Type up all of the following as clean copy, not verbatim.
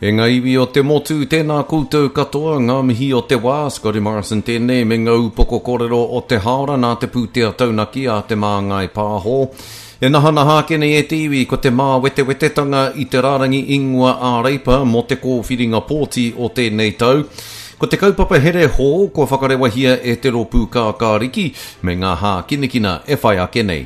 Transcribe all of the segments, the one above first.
E ngā iwi o te motu, tēnā koutou katoa, ngā mihi o te wā, Scotty Morrison tēnei me ngā upoko kōrero o te hāora nā te pūtea taunaki a Te Māngai Pāho. E nahanaha ake nei e te iwi ko te māwetewetetanga i te rārangi ingoa ā-Reipa mō te kōwhiringa pōti o tēnei tau. Ko te kaupapa here hou kua whakarewahia e te Rōpū Kākāriki me ngā hākinakina e whai ake nei.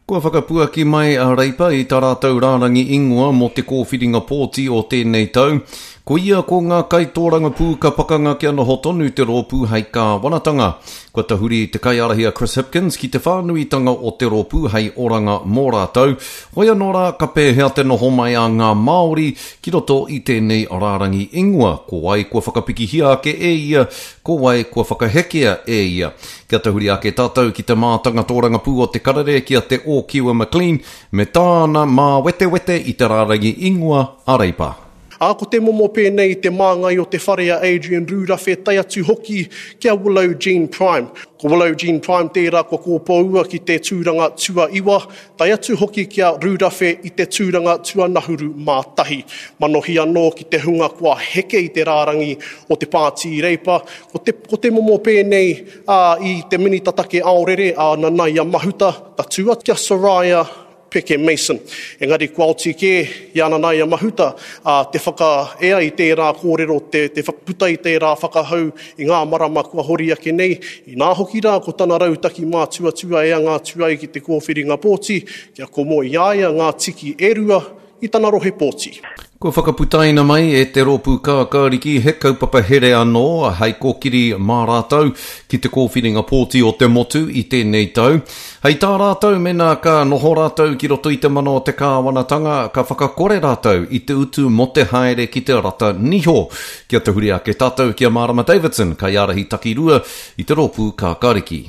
Kua whakapuaki mai a Reipa i tā rātou rārangi ingoa mō te kōwhiringa pōti o tēnei tau. Koia ko ngā kaitōrangapū ka pakanga kia noho tonu te rōpū hei kāwanatanga. Kua tahuri te kaiārahi a Chris Hipkins ki te whānuitanga o te rōpū hei oranga mō rātou. Hoi anō rā ka pēhea te noho mai a ngā Māori ki roto i tēnei rārangi ingoa, ko wai kua whakapikihia ake e ia, ko wai kua whakahekea e ia. Kia tahuri ake tātou ki te mātanga tōrangapū o Te Karere ki a Te Ōkiwa McLean me tāna māwetewete i te rārangi ingoa a Reipa. Ā, ko te momo pēnei i te māngai o te whare a Adrian Rūrawhe tae atu hoki ki a Willow Jean Prime. Ko Willow Jean Prime tērā kua kōpōua ki te tūranga tuaiwa, tae atu hoki ki a Rūrawhe i te tūranga tuanahuru mā tahi. Manohi anō ki te hunga kua heke i te rārangi o te Pāti Reipa, Ko te, ko te momo pēnei, ā, i te Minita Take Aorere, a Nanaia Mahuta, tatū atu ki a Soraya Peke Mason. Engari kua oti kē i a Nanaia Mahuta, ā, te whakaea i tērā kōrero, te, te whakaputa i tērā whakahau i ngā marama kua hori ake nei, inā hoki rā ko tana rautaki mātuatua e anga atu ai ki te kōwhiringa pōti, kia komo i a ia ngā tiki e rua i tana rohe pōti. Kua whakaputaina mai e te Rōpū Kākāriki he kaupapa here anō hei kōkiri mā rātou ki te kōwhiringa pōti o te motu i tēnei tau. Hei tā rātou mēnā ka noho rātou ki roto i te mana o te kāwanatanga ka whakakore rātou i te utu mō te haere ki te rata niho. Kia tahuri ake tātou ki a Marama Davidson, kaiārahi takirua i te Rōpū Kākāriki.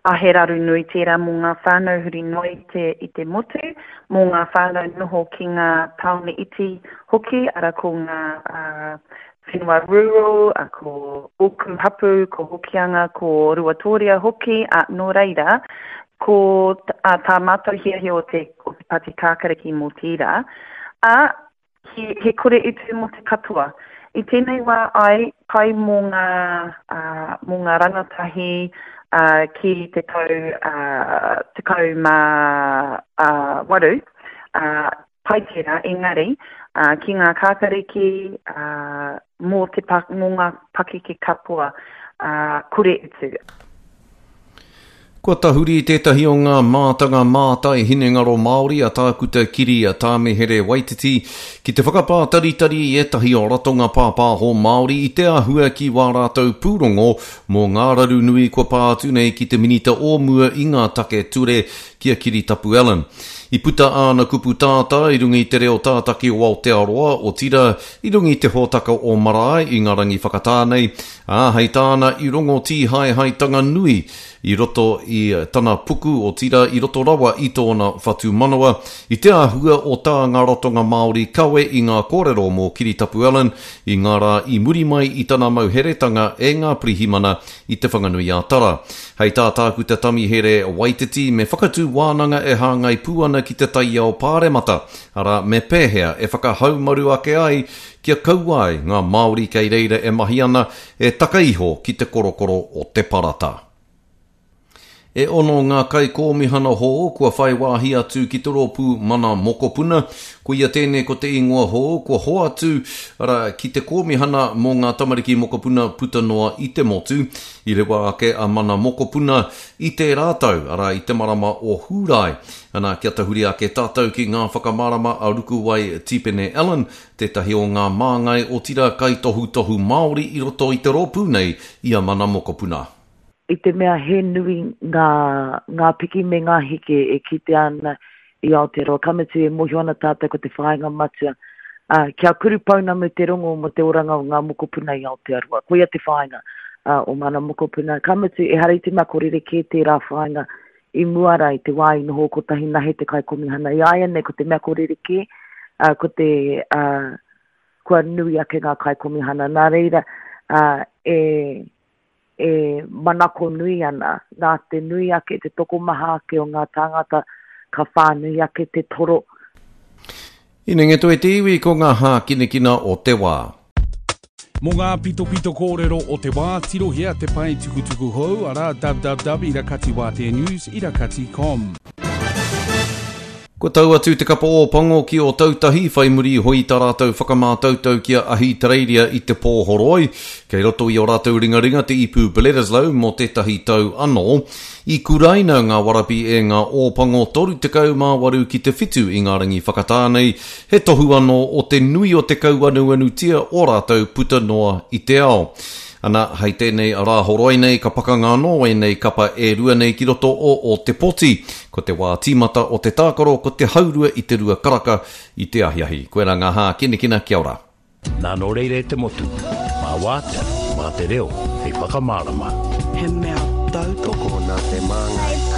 A he raru nui tērā mō ngā whānau huri noa i te, i te motu, mō ngā whānau noho ki ngā tāone iti hoki, ara ko ngā whenua rural, ko ōku hapū, ko Hokianga, ko Ruatōria hoki, ā, nō reira, ko tā mātou hiahia o te, o te Pāti Kākariki mō tērā, ā, He, he kore utu mō te katoa. I tēnei wā ai, pai mō ngā, uh, mō ngā rangatahi uh, ki te tau uh, 18, uh, pai tērā, engari, uh, ki ngā kākariki, uh, mō, te, mō ngā pakeke katoa, uh, kore utu. Kua tahuri tētahi o ngā mātanga mātai hinengaro Māori a Tākuta Kiri Tāmihere Waititi ki te whakapātaritari i ētahi o ratonga pāpāho Māori i te āhua ki wā rātou pūrongo mō ngā raru nui kua pā atu nei ki te Minita o mua i ngā take ture ki a Kiritapu Allan. I puta āna kupu tātā i runga i te reo tātaki o Aotearoa, otirā, i runga i te hōtaka o Marae i ngā rangi whakatā nei, Ā, hei tāna i rongo tīhaehaetanga nui i roto i tana puku, otirā i roto rawa i tōna whatumanawa, i te āhua o tā ngā ratonga Māori kawe i ngā kōrero mō Kiritapu Allan i ngā rā i muri mai i tana mauheretanga e ngā pirihimana i Te Whanganui-a-Tara. Hei tā Tākuta Tamihere Waititi me whakatū wānanga e hāngai pū ana ki te taiao pāremata, arā, me pēhea e whakahaumaru ake ai Kia kaua ai ngā Māori kei reira e mahi ana, e taka iho ki te korokoro o te parata. E ono ngā kaikōmihana hou kua whai wāhi atu ki te rōpū Mana Mokopuna. Koia tēnei ko te ingoa hou kua hoatu, arā, ki te kōmihana mō ngā tamariki mokopuna puta noa i te motu. I rewa ake a Mana Mokopuna i tērā tau, arā, i te marama o Hūrae. Ana, kia tahuri ake tātou ki ngā whakamārama a Rukuwai Tipene Allen, tētahi o ngā māngai otirā kaitohutohu Māori i roto i te rōpū nei i a Mana Mokopuna. I te mea he nui ngā, ngā piki me ngā heke e kitea ana i Aotearoa, ka mutu e mōhio ana tātou ko te whāinga matua, ā, kia kuru pounamu te rongo mō te oranga o ngā mokopuna i Aotearoa. Koia te whāinga, ā, o Mana Mokopuna. Ka mutu, ehara i te mea ko rerekē tērā whāinga i mua rā i te wā i noho kotahi nahe te kaikomihana. I āianei ko te mea ko rerekē, ā, ko te, ā, kua nui ake ngā kaikomihana. Nā reira, ā, e, e manako nui ana, nā te nui ake, te tokomaha ake o ngā tāngata, ka whānui ake te toro. Inenge toe te iwi ko ngā hākinakina o te wā. Mō ngā pitopito kōrero o te wā, tirohia te pae tukutuku hou, arā, www ira kati wātea news ira kati com. Kua tau atu te kapa Ōpango ki Ōtautahi whai muri iho i tā rātou whakamātautau ki a Ahitereiria i te pō horoi. Kei roto i ō rātou ringaringa te ipu Bledisloe mō tētahi tau anō. I kuraina ngā warabi e ngā Ōpango 38 ki te whitu i ngā rangi whakatā nei, he tohu anō o te nui o te kauanuanutia o rātou puta noa i te ao. Ana, hei tēnei Rāhoroi nei ka pakanga anō ēnei kapa e rua nei ki roto o Ōtepoti. Ko te wā tīmata o te tākaro ko te haurua i te rua karaka i te ahiahi. Koirā ngā hākinakina, kia ora. Nā nō reira e te motu, mā Wātea, mā te reo hei whakamārama. He mea tautoko. Tokona te māngai.